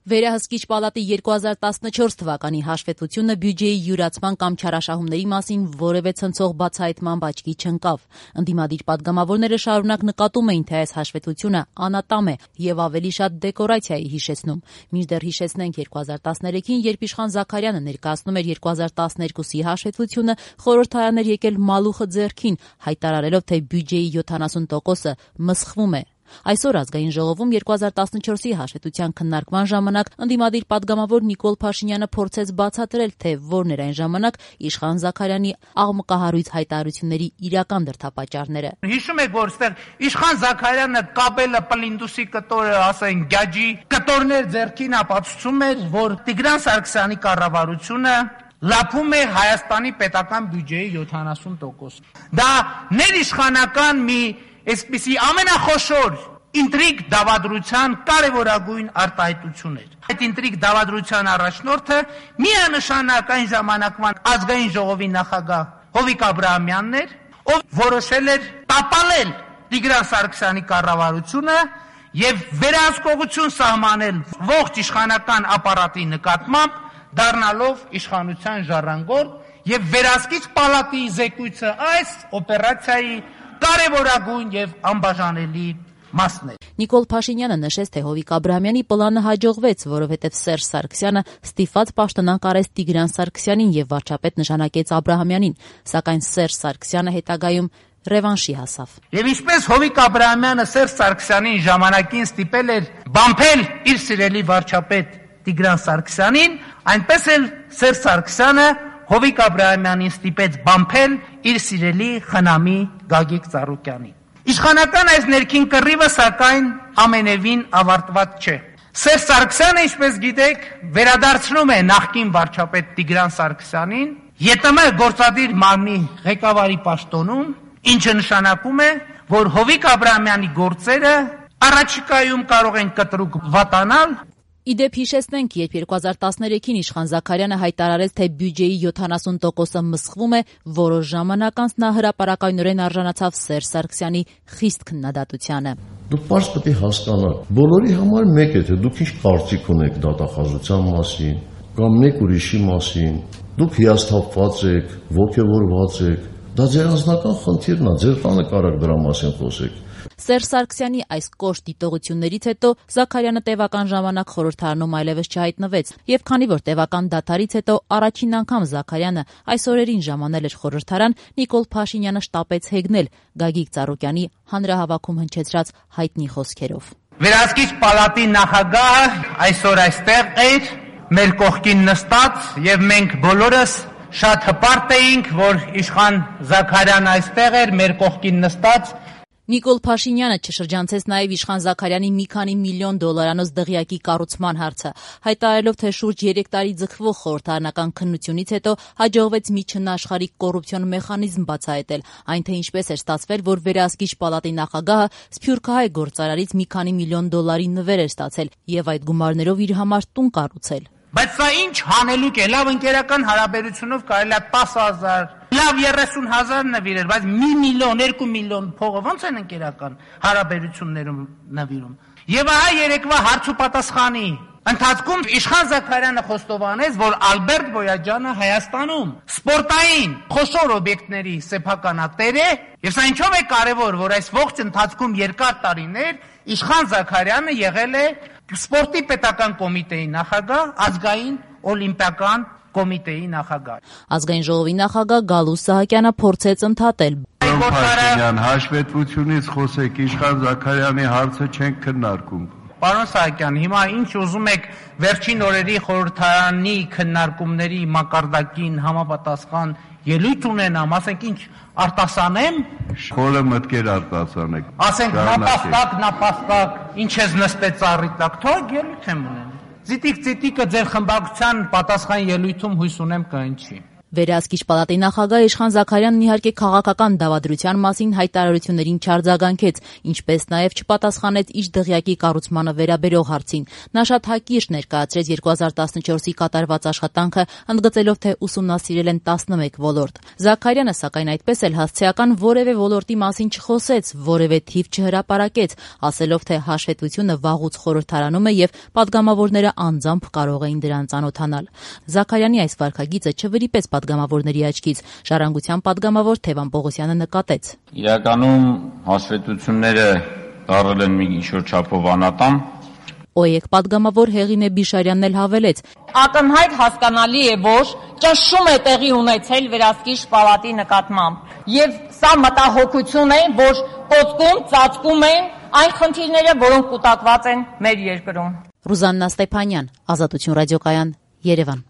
Վերահսկիչ պալատի 2014 թվականի հաշվետվությունը բյուջեի յուրացման կամ չարաշահումների մասին որևէ ցնցող բացահայտման աչքի չընկավ։ Ընդդիմադիր պատգամավորները շարունակ նկատում էին, թե այս հաշվետվությունը անատամ է եւ ավելի շատ դեկորացիա է հիշեցնում։ Մինչդեռ հիշեցնենք 2013-ին, երբ Իշխան Զաքարյանը ներկայացնում էր 2012-ի հաշվետվությունը, խորհրդարան էր եկել մալուխը ձեռքին, հայտարարելով, թե բյուջեի 70%-ը մսխվում է։ Այսօր Ազգային ժողովում 2014-ի հաշվետվության քննարկման ժամանակ ընդդիմադիր պատգամավոր Նիկոլ Փաշինյանը փորձեց բացատրել, թե որն էր այն ժամանակ Իշխան Զաքարյանի աղմկահարույց հայտարարությունների իրական դրդապատճառները։ Հիշում եք, որ այստեղ Իշխան Զաքարյանը կապելը պլինդուսի կտորը, ասեն գյաջի կտորներ ձեռքին ապացուցում էր, որ Տիգրան Սարգսյանի կառավարությունը լափում է Հայաստանի պետական բյուջեի 70%։ Դա ներիշխանական մի այսպիսի ամենախոշոր ինտրիգ դավադրության կարևորագույն արտահայտություն էր։ Այդ ինտրիգ դավադրության առաջնորդը միանշանակ այն ժամանակվան Ազգային ժողովի նախագահ Հովիկ Աբրահամյանն էր, ով որոշել էր տապալել Տիգրան Սարգսյանի կառավարությունը եւ վերահսկողություն սահմանել ողջ իշխանական ապարատի նկատմամբ, դառնալով իշխանության ժառանգորդ, եւ վերահսկիչ պալատի զեկույցը այս օպերացիայի կարևորագույն եւ անբաժանելի մասն է։ Նիկոլ Փաշինյանը նշեց, թե Հովիկ Աբրահամյանի պլանը հաջողվեց, որովհետև Սերժ Սարգսյանը ստիպված պաշտոնանկ արեց Տիգրան Սարգսյանին եւ վարչապետ նշանակեց Աբրահամյանին, սակայն Սերժ Սարգսյանը հետագայում ռևանշի հասավ։ Եվ ինչպես Հովիկ Աբրահամյանը Սերժ Սարգսյանին ժամանակին ստիպել էր բամփել իր սիրելի վարչապետ Տիգրան Սարգսյանին, այնպես էլ Սերժ Սարգսյանը Հովիկ Աբրահամյանին ստիպեց բամփել իր սիրելի խնամի Գագիկ Ծառուկյանին։ Իշխանական այս ներքին կռիվը, սակայն, ամենևին ավարտված չէ։ Սերժ Սարգսյանը, ինչպես գիտեք, վերադարձնում է նախկին վարչապետ Տիգրան Սարգսյանին ԵՏՄ գործադիր մարմնի ղեկավարի պաշտոնում, ինչը նշանակում է, որ Հովիկ Աբրահամյանի գործերը առաջիկայում կարող են կտրուկ վատանալ։ Իդեպ հիշեցնենք, երբ 2013-ին Իշխան Զաքարյանը հայտարարեց, թե բյուջեի 70%-ը մսխվում է, որոշ ժամանակ անց նա հրապարակայնորեն արժանացավ Սերժ Սարգսյանի խիստ քննադատությանը։ Դուք պարզ պետք է հասկանաք, բոլորի համար մեկ է, թե դուք ինչ կարծիք ունեք դատախազության մասին կամ մեկ ուրիշի մասին, դուք հիասթափված եք, ոգևորված եք, դա ձեր անձնական խնդիրն է, ձեր տանը կարաք դրա մասին խոսեք։ Սերժ Սարգսյանի այս կոշտ դիտողություններից հետո Զաքարյանը տևական ժամանակ խորհրդարանում այլևս չհայտնվեց, եւ քանի որ տևական դադարից հետո առաջին անգամ Զաքարյանը այս օրերին ժամանել էր խորհրդարան, Նիկոլ Փաշինյանը շտապեց հեգնել Գագիկ Ծառուկյանի հանրահավաքում հնչեցրած հայտնի խոսքերով։ Վերահսկիչ պալատի նախագահը այսօր այստեղ էր, մեր կողքին նստած, եւ մենք բոլորս շատ հպարտ էինք, որ Իշխան Զաքարյանը այստեղ էր, մեր կողքին նստած։ Նիկոլ Փաշինյանը չշրջանցեց նաև Իշխան Զաքարյանի մի քանի միլիոն դոլարանոց դղյակի կառուցման հարցը, հայտարարելով, թե շուրջ 3 տարի ձգվող խորհրդարանական քննությունից հետո հաջողվեց մի չնաշխարհիկ կոռուպցիոն մեխանիզմ բացահայտել, այն թե ինչպես էր ստացվել, որ վերահսկիչ պալատի նախագահը սփյուռքահայ գործարարից մի քանի միլիոն դոլարի նվեր էր ստացել եւ այդ գումարներով իր համար տուն կառուցել։ Բայց սա ինչ հանելուկ է, լավ ընկերական հարաբերությունով կարելի է 10,000, լավ 30,000 նվիրել, բայց 1 միլիոն, 2 միլիոն փողը ո՞նց են ընկերական հարաբերություններում նվիրում։ Եվ ահա երեկվա հարց ու պատասխանի ընթացքում Իշխան Զաքարյանը խոստովանեց, որ Ալբերտ Բոյաջյանը Հայաստանում սպորտային խոշոր օբյեկտների սեփականատեր է, եւ սա ինչով է կարեւոր, որ այս ողջ ընթացքում երկար տարիներ Իշխան Զաքարյանը եղել է սպորտի պետական կոմիտեի նախագահ, ազգային օլիմպիական կոմիտեի նախագահ։ Ազգային ժողովի նախագահ Գալուս Սահակյանը փորձեց ընդհատել։ Փաշինյան, հաշվետվությունից խոսեք, Իշխան Զաքարյանի հարցը չենք քննարկում։ Պարոն Սահակյան, հիմա ինչ ուզում եք վերջին օրերի խորհրդարանի քննարկումների մակարդակին համապատասխան ելույթ ունենամ, ասենք ինչ արտասանեմ, խորը մտքեր արտասանեք։ Ասենք նապաստակ, ինչ ես նստեց ծառի տակ, թող ելույթ եմ ունենում։ Ծիտիկ-ծիտիկը ձեր խմբակցության պատասխան ելույթում հույս ունեմ կհնչի։ Վերահսկիչ պալատի նախագահ Իշխան Զաքարյանն իհարկե քաղաքական դավադրության մասին հայտարարություններին չարձագանքեց, ինչպես նաև չպատասխանեց իր դղյակի կառուցմանը վերաբերող հարցին։ Նա շատ հակիրճ ներկայացրեց 2014-ի կատարված աշխատանքը, ընդգծելով, թե ուսումնասիրել են 11 ոլորտ։ Զաքարյանը, սակայն, այդպես էլ հասցեական որևէ ոլորտի մասին չխոսեց, որևէ թիվ չհրապարակեց, ասելով, թե հաշվետվությունը վաղուց խորհրդարանում է եւ պատգամավորները անձամբ կարող էին դրան ծանոթանալ։ Զաքարյանի այս վարքագիծը չվրիպեց պատգամավորների աչքից։ Ժառանգության պատգամավոր Թևան Պողոսյանը նկատեց. Իրականում հաշվետվությունները դառել են մի ինչ-որ չափով անատամ։ ՕԵԿ պատգամավոր Հեղինե Բիշարյանն էլ հավելեց. Ակնհայտ հասկանալի է, որ ճնշում է տեղի ունեցել վերահսկիչ պալատի նկատմամբ։ Եվ սա մտահոգություն է, որ կոծկում, ծածկում են այն խնդիրները, որոնք կուտակված են մեր երկրում։ Ռուզաննա Ստեփանյան, Ազատություն ռադիոկայան, Երևան։